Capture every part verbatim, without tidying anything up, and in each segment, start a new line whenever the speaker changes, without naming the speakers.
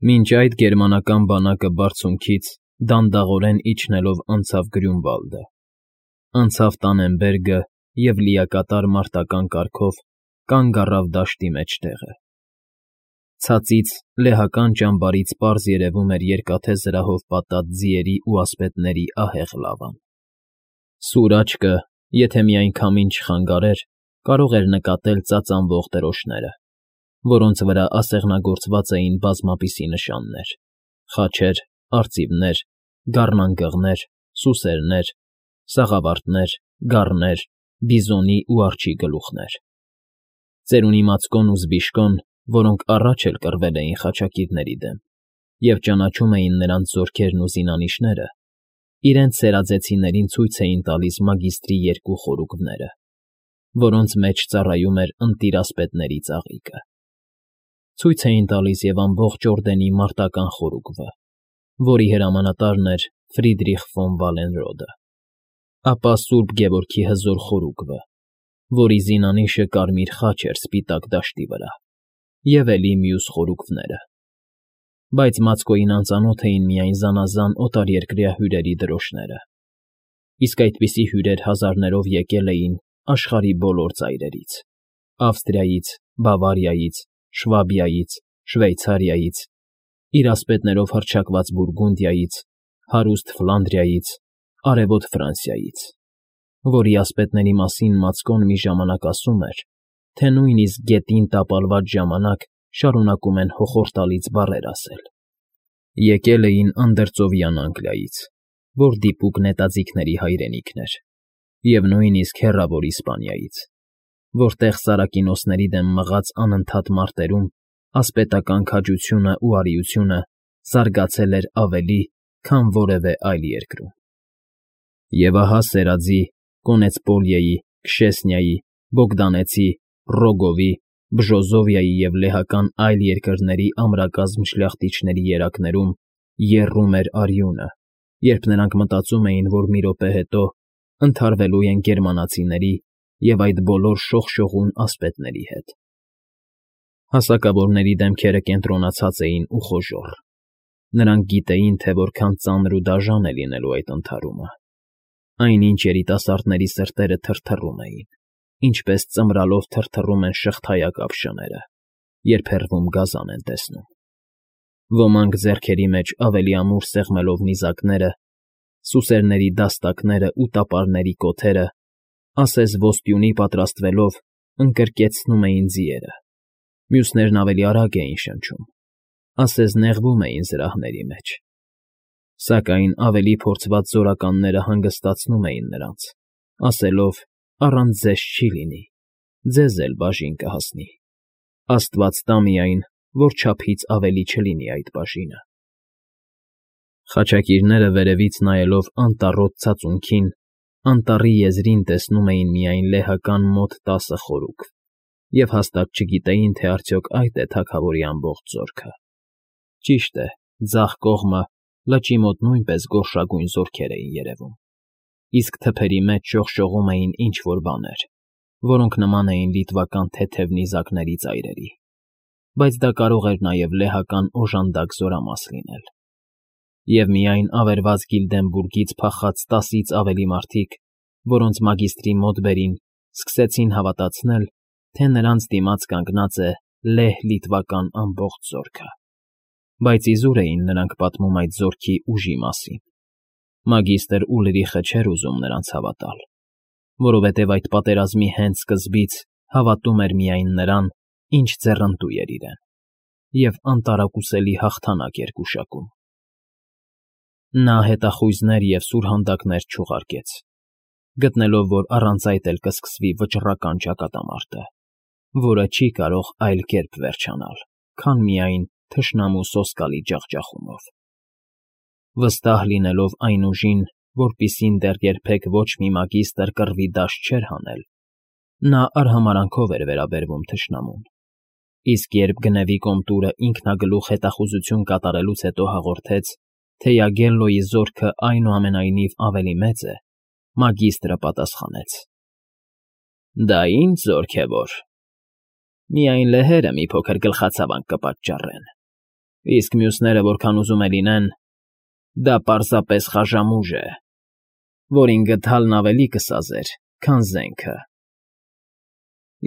Մինչ այդ գերմանական բանակը բարձունքից դանդաղորեն իջնելով անցավ Գրյունվալդը, անցավ Տաննենբերգը և լիակատար մարտական կարգով կանգ առավ դաշտի մեջտեղը. ցածից լեհական ճամբարից պարզ երևում էր երկաթե զրահով պատած ձիերի ու ասպետների ահեղ լավան. սուր աչքը, եթե միայն քամին չխանգարեր, կարող էր նկատել ծածանվող դրոշները, որոնց վրա ասեղնագործված էին բազմապիսի նշաններ. խաչեր, արծիվներ, գառնանգղներ, սուսերներ, սաղավարտներ, գառներ, բիզոնի ու արջի գլուխներ, ծերունի մածկոն ու զբիշկոն, որոնք առաջ էլ կռվել էին խաչակիրների դեմ և ճանաչում էին նրանց զորքերն ու զինանիշները, իրենց սերաձեցիներին ցույց էին տալիս մագիստրի երկու խորուկները, որոնց մեջ ծառայում էր ընտիր ասպետների ծաղիկը. ցույց էին տալիս և ամբողջ օրդենի մարտական խորուկը, որի հրամանատարն էր Ֆրիդրիխ ֆոն Վալենրոդը, ապա սուրբ Գևորգի հզոր խորուկը, որի զինանիշը կարմիր խաչ էր սպիտակ դաշտի վրա, և էլի մյուս խորուկները, բայց մածկոյին անծանոթ էին միայն զանազան օտարերկրյա հյուրերի դրոշները, իսկ այդպիսի հյուրեր հազարներով եկել էին աշխարհի բոլոր ծայրերից. Ավստրիայից, Բավարիայից, Շվաբիայից, Շվեյցարիայից, իր ասպետներով հռչակված Բուրգունդիայից, հարուստ Ֆլանդրիայից, արևոտ Ֆրանսիայից, որի ասպետների մասին մածկոն մի ժամանակ ասում էր, թե նույնիսկ գետին տապալված ժամանակ շարունակում են հոխորտալից բառեր ասել. եկել էին Անդրծովյան Անգլիայից, որ դիպուկ նետաձիգների հայրենիքն էր, և նույնիսկ հեռավոր Իսպանիայից, որտեղ սարակինոսների դեմ մղած անընդհատ մարտերում ասպետական քաջությունն ու արիությունը զարգացել էր ավելի, քան որևէ այլ երկրում. Եվ ահա սերadzի, Կոնեցպոլիեի, Քշեսնիայի, Բոգդանեցի, Ռոգովի, Բժոզովիայի և լեհական այլ երկրների ամրակազմ շլախտիչների երակներում եռում էր արյունը, երբ նրանք մտածում էին, որ մի րոպե հետո ընդհարվելու են գերմանացիների և այդ բոլոր շողշողուն ասպետների հետ. Հասակավորների դեմքերը կենտրոնացած էին ու խոժոռ. նրանք գիտեին, թե որքան ծանր ու դաժան է լինելու այդ ընդհարումը, այնինչ երիտասարդների սրտերը թրթռում էին, ինչպես ծմրալով թրթռում են շղթայակապ շները, երբ հեռվում գազան են տեսնում. ոմանք ձեռքերի մեջ ավելի ամուր սեղմելով նիզակները, սուսերների դաստակներն ու տապարների կոթերը, ասես ոսպյունի պատրաստվելով, ընկրկեցնում էին ձիերը, մյուսներն ավելի արագ էին շնչում, ասես նեղվում էին զրահների մեջ, սակայն ավելի փորձված զորականները հանգստացնում էին նրանց, ասելով. «Առանց ձեզ չի լինի, ձեզ էլ բաժին կհասնի, աստված տա միայն, որ չափից ավելի չլինի այդ բաժինը»։ Խաչակիրները վերևից նայելով անտառոտ ցածունքին, անտառի եզրին տեսնում էին միայն լեհական մոտ տասը խորուկ և հաստատ չգիտեին, թե արդյոք այդ է թագավորի ամբողջ զորքը. ճիշտ է, ձախ կողմը, լճի մոտ նույնպես գորշագույն զորքեր էին երևում, իսկ թփերի մեջ շողշողում էին ինչ֊որ բաներ, որոնք նման էին լիտվական թեթև նիզակների ծայրերի, բայց դա կարող էր նաև լեհական օժանդակ զորամաս լինել, և միայն ավերված Գիլդենբուրգից փախած տասից ավելի մարդիկ, որոնց մագիստրի մոտ բերին, սկսեցին հավատացնել, թե նրանց դիմաց կանգնած է լեհ֊լիտվական ամբողջ զորքը, բայց իզուր էին նրանք պատմում այդ զորքի ուժի մասին. մագիստր Ուլրիխը չէր ուզում նրանց հավատալ, որովհետև այդ պատերազմի հենց սկզբից հավատում էր միայն նրան, ինչ ձեռնտու էր իրեն, և անտարակուսելի հաղթանակ էր գուշակում. նա հետախույզներ և սուրհանդակներ չուղարկեց, գտնելով, որ առանց այդ էլ կսկսվի վճռական ճակատամարտը, որը չի կարող այլ կերպ վերջանալ, քան միայն թշնամու սոսկալի ջախջախումով. վստահ լինելով այն ուժին, որպիսին դեռ երբեք ոչ մի մագիստր կռվի դաշտ չէր հանել, նա արհամարհանքով էր վերաբերվում թշնամուն, իսկ երբ Գնևի կոմտուրը ինքնագլուխ հետախուզություն կատարելուց հետո հաղորդեց, թե Յագելլոյի զորքը այնուամենայնիվ ավելի մեծ է, մագիստրը պատասխանեց. «Դա ի՞նչ զորք է որ… Միայն լեհերը մի փոքր գլխացավանք կպատճառեն»։ Իսկ մյուսները որքան ուզում է լինեն, դա պարզապես խաժամուժ է, որին գդալն ավելի կսազեր, քան զենքը։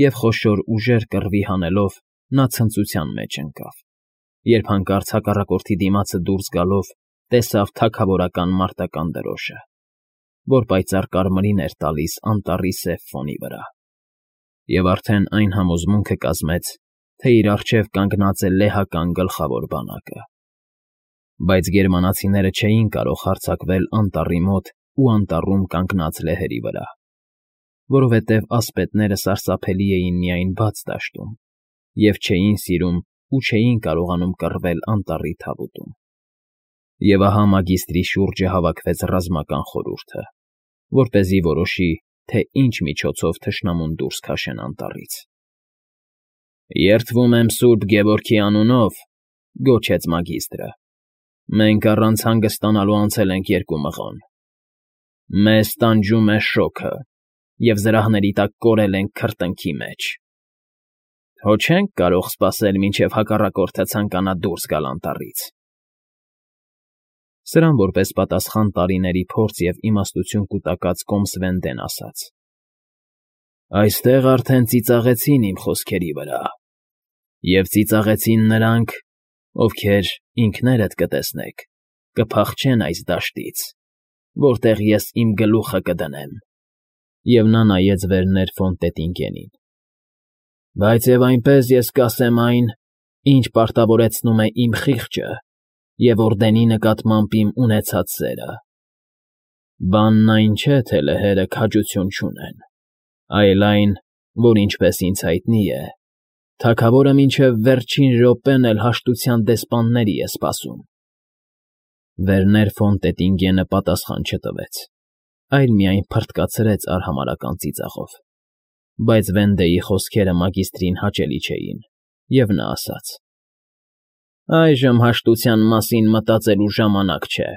Եվ խոշոր ուժեր կռվի հանելով նա ցնծության մեջ ընկավ, երբ հանկարծ հակառակորդի դիմացը դուրս գալով տեսավ թագավորական մարտական դրոշը, որ պայծառ կարմիրին էր տալիս անտառի սև ֆոնի վրա, և արդեն այն համոզմունքը կազմեց, թե իր առջև կանգնած է լեհական գլխավոր բանակը։ Բայց գերմանացիները չէին կարող հարձակվել անտառի մոտ ու անտառում կանգնած լեհերի վրա, որովհետև ասպետները սարսափելի էին միայն բաց դաշտում և չէին սիրում ու չէին կարողանում կռվել անտառի թավուտում։ Եվ ահա մագիստրի շուրջը հավաքվեց ռազմական խորհուրդը, որպեսզի որոշի, թե ինչ միջոցով թշնամուն դուրս քաշեն անտառից։ «Երդվում եմ Սուրբ Գևորգի անունով,֊ գոչեց մագիստրը,֊ մենք առանց հանգստանալու անցել ենք երկու մղոն. մեզ տանջում է շոգը, և զրահների տակ կորել ենք քրտինքի մեջ. հո չենք կարող սպասել, մինչև հակառակորդը ցանկանա դուրս գալ անտառից»։ Սրան որպես պատասխան տարիների փորձ և իմաստություն կուտակած կոմսվենդեն ասաց. «Այստեղ արդեն ծիծաղեցին իմ խոսքերի վրա, և ծիծաղեցին նրանք, ովքեր, ինքներդ կտեսնեք, կփախչեն այս դաշտից, որտեղ ես իմ գլուխը կդնեմ», և նա նայեց Վերներ ֆոն Տետինգենին։ «Բայց և այնպես ես կասեմ այն, ինչ պարտավորեցնում է իմ խիղճը և օրդենի նկատմամբ իմ ունեցած սերը. բանն այն չէ, թե լեհերը քաջություն չունեն, այլ այն, որ ինչպես ինձ հայտնի է, թագավորը մինչև վերջին րոպեն էլ հաշտության դեսպանների է սպասում»։ Վերներ ֆոն Տետինգենը պատասխան չտվեց, այլ միայն փռթկացրեց արհամարհական ծիծաղով, բայց Վենդեի խոսքերը մագիստրին հաճելի չէին, և նա ասաց. «Այժմ հաշտության մասին մտածելու ժամանակ չէ,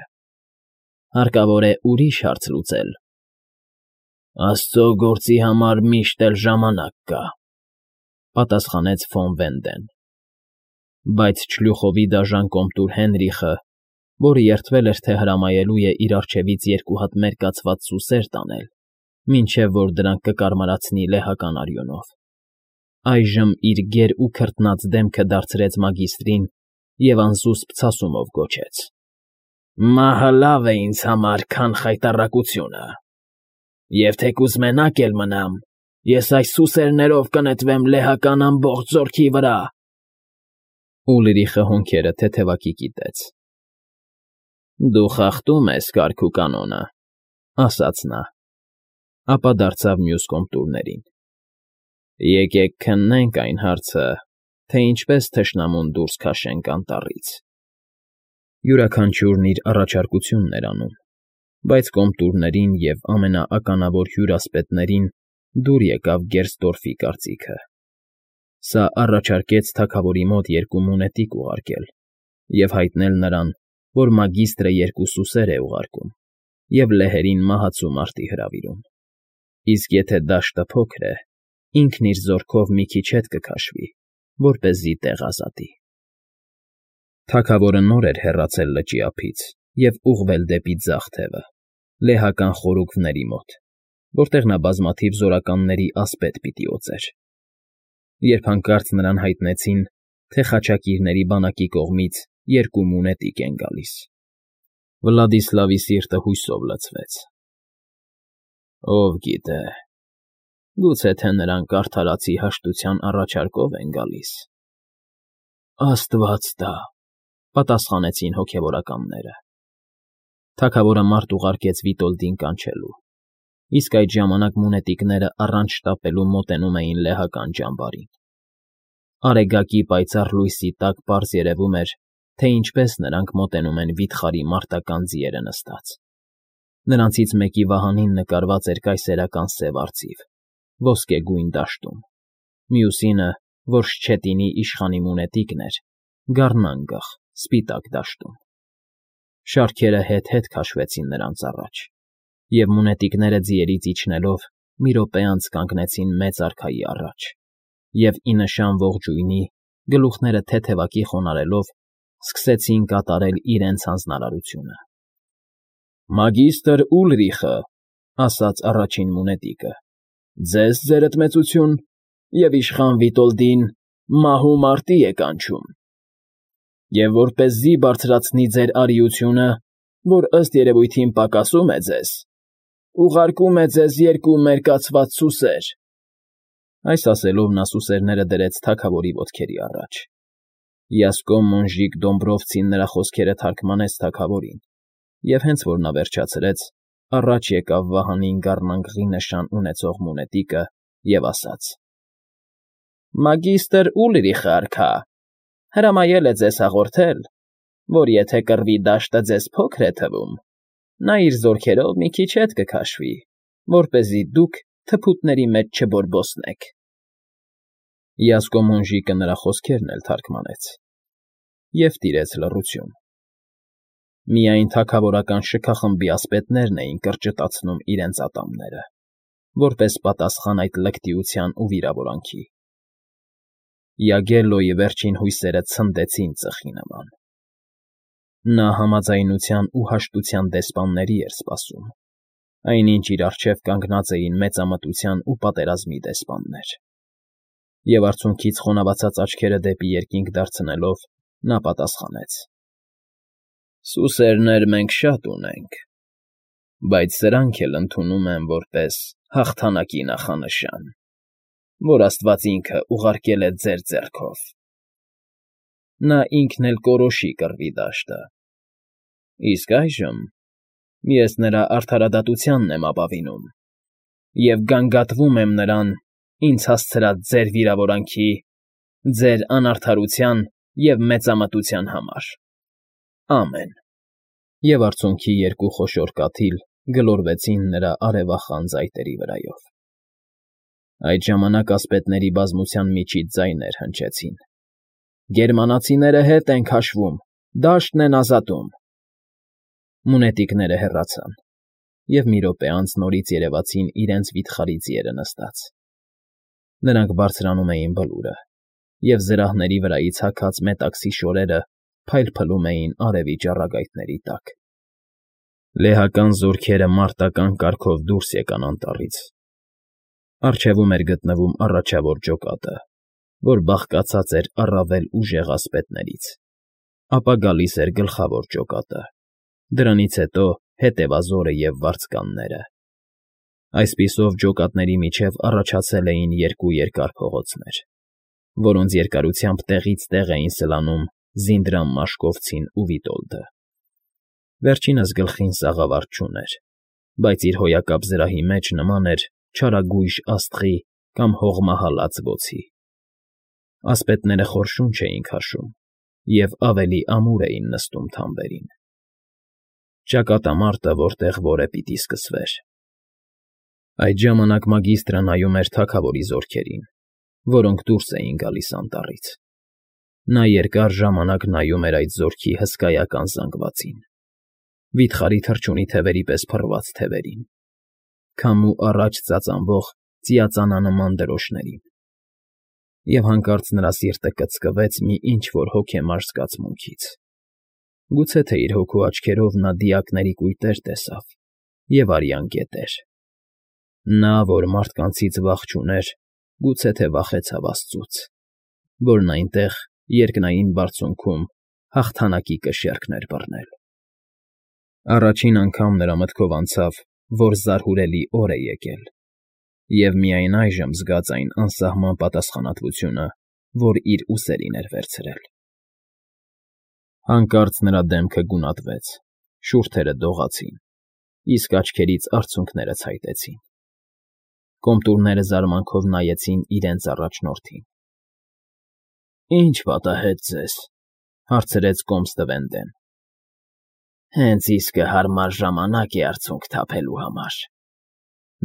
հարկավոր է ուրիշ հարց լուծել»։ «Աստծո գործի համար միշտ էլ ժամանակ կա,֊ պատասխանեց ֆոն Վենդեն։ Բայց Չլյուխովի դաժան կոմտուր Հենրիխը, որը երդվել էր, թե հրամայելու է իր առջևից երկու հատ մերկացված սուսեր տանել, մինչև որ դրանք կկարմարացնի լեհական արյունով, այժմ իր գեր ու քրտնած դեմքը դարձրեց մագիստրին և անզուսպ ցասումով գոչեց. «Մահը լավ է ինձ համար, քան խայտառակությունը, և թեկուզ մենակ էլ մնամ, ես այս սուսերներով կնետվեմ լեհական ամբողջ զորքի վրա»։ Ուլրիխը հոնքերը թեթևակի կիտեց։ «Դու խախտում ես կարգ ու կանոնը,֊ ասաց նա, ապա դարձավ մյուս կոմտուրներին։ Եկեք քննենք այն հարցը, թե ինչպես թշնամուն դուրս քաշենք անտառից»։ Յուրաքանչյուրն իր առաջարկությունն էր անում, բայց կոմտուրներին և ամենաականավոր հյուրասպետներին դուր եկավ Գերստորֆի կարծիքը։ Սա առաջարկեց թագավորի մոտ երկու մունետիկ ուղարկել և հայտնել նրան, որ մագիստրը երկու սուսեր է ուղարկում և լեհերին մահացու մարտի հրավիրում, իսկ եթե դաշտը փոքր է, ինքն իր զորքով մի քիչ հետ կքաշվի, որպեսզի տեղ ազատի։ Թագավորը նոր էր հեռացել լճի ափից և ուղղվել դեպի ձախ թևը, լեհական խորուկների մոտ, որտեղ նա բազմաթիվ զորականների ասպետ պիտի օծեր, երբ հանկարծ նրան հայտնեցին, թե խաչակիրների բանակի կողմից երկու մունետիկ են գալիս։ Վլադիսլավի սիրտը հույսով լցվեց։ Ով գիտե, գուցե թե նրանք արդարացի հաշտության առաջարկով են գալիս։ Աստված տա, պատասխանեցին հոգևորականները։ Թագավորը մարդ ուղարկեց Վիտոլդին կանչելու, իսկ այդ ժամանակ մունետիկները առանց շտապելու մոտենում էին լեհական ճամբարին։ Արեգակի պայծառ լույսի տակ պարզ երևում էր, թե ինչպես նրանք մոտենում են վիթխարի մարտական ձիերը նստած։ Նրանցից մեկի վահանին նկարված էր կայսերական սև արծիվ, ոսկեգույն դաշտում, մյուսինը, որ Շչետինի իշխանի մունետիկն էր, գառնանգղ, սպիտակ դաշտում։ Շարքերը հետ֊հետ քաշվեցին նրանց առաջ, և մունետիկները ձիերից իջնելով մի րոպե անց կանգնեցին մեծ արքայի առաջ և, ի նշան ողջույնի, գլուխները թեթևակի խոնարհելով, սկսեցին կատարել իրենց հանձնարարությունը։ «Մագիստր Ուլրիխը,֊ ասաց առաջին մունետիկը,֊ ձեզ, ձերդ մեծություն, և իշխան Վիտոլդին մահու մարտի է կանչում։ Եվ որպեսզի բարձրացնի ձեր արիությունը, որ ըստ երևույթին պակասում է ձեզ, ուղարկում է ձեզ երկու մերկացված սուսեր»։ Այս ասելով նա սուսերները դրեց թագավորի ոտքերի առաջ։ Յասկոն Մոնժիկ Դոմբրովցին նրա խոսքերը թարգմանեց թագավորին, և հենց որ նա վերջացրեց, առաջ եկավ վահանին գառնանկղի նշան ունեցող մունետիկը և ասաց. «Մագիստր Ուլրիխը արքա, հրամայել է ձեզ հաղորդել, որ եթե կռվի դաշտը ձեզ փոքր է թվում, նա իր զորքերով մի քիչ հետ կքաշվի, որպեսզի դուք թփուտների մեջ չբորբոսնեք»։ Յասկո Մոնժիկը նրա խոսքերն էլ թարգմանեց, և տիրեց լռություն։ Միայն թագավորական շքախմբի ասպետներն էին կրճտացնում իրենց ատամները, որպես պատասխան այդ լկտիության ու վիրավորանքի։ Յագելլոյի վերջին հույսերը ցնդեցին ծխի նման։ Նա համաձայնության ու հաշտության դեսպանների էր սպասում, այնինչ իր առջև կանգնած էին մեծամտության ու պատերազմի դեսպաններ։ Եվ արցունքից խոնավացած աչքերը դեպի երկինք դարձնելով՝ նա պատասխանեց. «Սուսերներ մենք շատ ունենք, բայց սրանք էլ ընդունում եմ որպես հաղթանակի նախանշան, որ աստված ինքը ուղարկել է ձեր ձեռքով։ Նա ինքն էլ կորոշի կռվի դաշտը։ Իսկ այժմ ես նրա արդարադատությանն եմ ապավինում և գանգատվում եմ նրան ինձ հասցրած ձեր վիրավորանքի, ձեր անարդարության և մեծամտության համար։ Ամեն»։ Եվ արցունքի երկու խոշոր կաթիլ գլորվեցին նրա արևախան ծայտերի վրայով։ Այդ ժամանակ ասպետների բազմության միջից ձայներ հնչեցին. «Գերմանացիները հետ են քաշվում, դաշտն են ազատում»։ Մունետիկները հեռացան, և մի րոպե անց նորից երևացին իրենց վիթխարի ձիերը նստած։ Նրանք բարձրանում էին բլուրը, և զրահների վրայից հագած մետաքսի շորերը փայլփլում էին արևի ճառագայթների տակ։ Լեհական զորքերը մարտական կարգով դուրս եկան անտառից։ Առջևում էր գտնվում առաջավոր ջոկատը, որ բաղկացած էր առավել ուժեղ ասպետներից, ապա գալիս էր գլխավոր ջոկատը, դրանից հետո հետևազորը և վարձկանները։ Այսպիսով ջոկատների միջև առաջացել էին երկու երկար փողոցներ, որոնց երկարությամբ տեղից տեղ էին սլանում Զինդրամ Մաշկովցին ու Վիտոլդը։ Վերջինս գլխին սաղավարտ չուներ, բայց իր հոյակապ զրահի մեջ նման էր չարագույժ աստղի կամ հողմահալած բոցի։ Ասպետները խոր շունչ էին քաշում և ավելի ամուր էին նստում թամբերին։ Ճակատամարտը որտեղ որը պիտի սկսվեր։ Այդ ժամանակ մագիստրը նայում էր թագավորի զորքերին, որոնք դուրս էին գալիս անտառից։ Նա երկար ժամանակ նայում էր այդ զորքի հսկայական զանգվածին, վիթխարի թռչունի թևերի պես փռված թևերին, քամու առաջ ծածանվող ծիածանանման դրոշներին։ Եվ հանկարծ նրա սիրտը կծկվեց մի ինչ֊որ հոգեմար զգացմունքից։ Գուցե թե իր հոգու աչքերով նա դիակների կույտեր տեսավ և արյան գետեր։ Նա, որ մարդկանցից վախ չուներ, գուցե թե վախեցավ աստծուց, որն այնտեղ, երկնային բարձունքում, հաղթանակի կշեռքներ բռնել։ Առաջին անգամ նրա մտքով անցավ, որ զարհուրելի օր է եկել, և միայն այժմ զգաց այն անսահման պատասխանատվությունը, որ իր ուսերին էր վերցրել։ Հանկարծ նրա դեմքը գունատվեց, շուրթերը դողացին, իսկ աչքերից արցունքները ցայտեցին։ Կոմտուրները զարմանքով նայեցին իրենց առաջնորդին։ «Ի՞նչ պատահեց ձեզ,֊ հարցրեց կոմստը Վենդեն։ «Հենց իսկը հարմար ժամանակ է արցունք թափելու համար,֊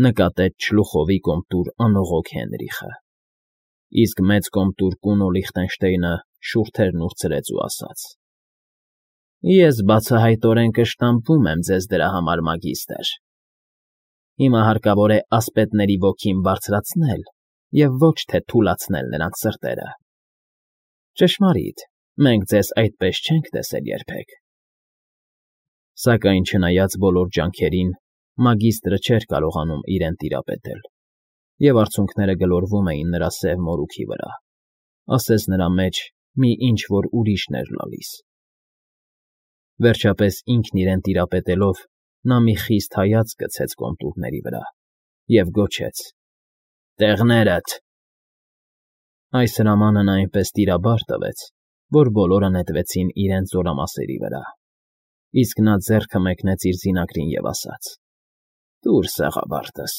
նկատեց չլուխովի կոմտուր անողոք Հենրիխը։ Իսկ մեծ կոմտուր Կունո Լիխտենշտեյնը շուրթերն ուրցրեց ու ասաց. «Ես բացահայտորեն կշտամբում եմ ձեզ դրա համար, մագիստր։ Հիմա հարկավոր է ասպետների ոգին բարձրացնել և ոչ թե թուլացնել նրանց սրտերը։ Ճշմարիտ, Մենք ձեզ այդպես չենք տեսել երբեք։ Սակայն չնայած բոլոր ջանքերին, մագիստրը չէր կարողանում իրեն տիրապետել, և արցունքները գլորվում էին նրա սև մորուքի վրա, ասես նրա մեջ մի ինչ֊որ ուրիշն էր լալիս։ Վերջապես ինքն իրեն տիրապետելով՝ նա մի խիստ հայացք գցեց կոնտուրների վրա և գոչեց. «Տեղնե՜րդ»։ Այս հրամանը նա այնպես տիրաբար տվեց, որ բոլորը նետվեցին իրենց զորամասերի վրա, իսկ նա ձեռքը մեկնեց իր զինակրին և ասաց. «Տուր սեղաբարտս»։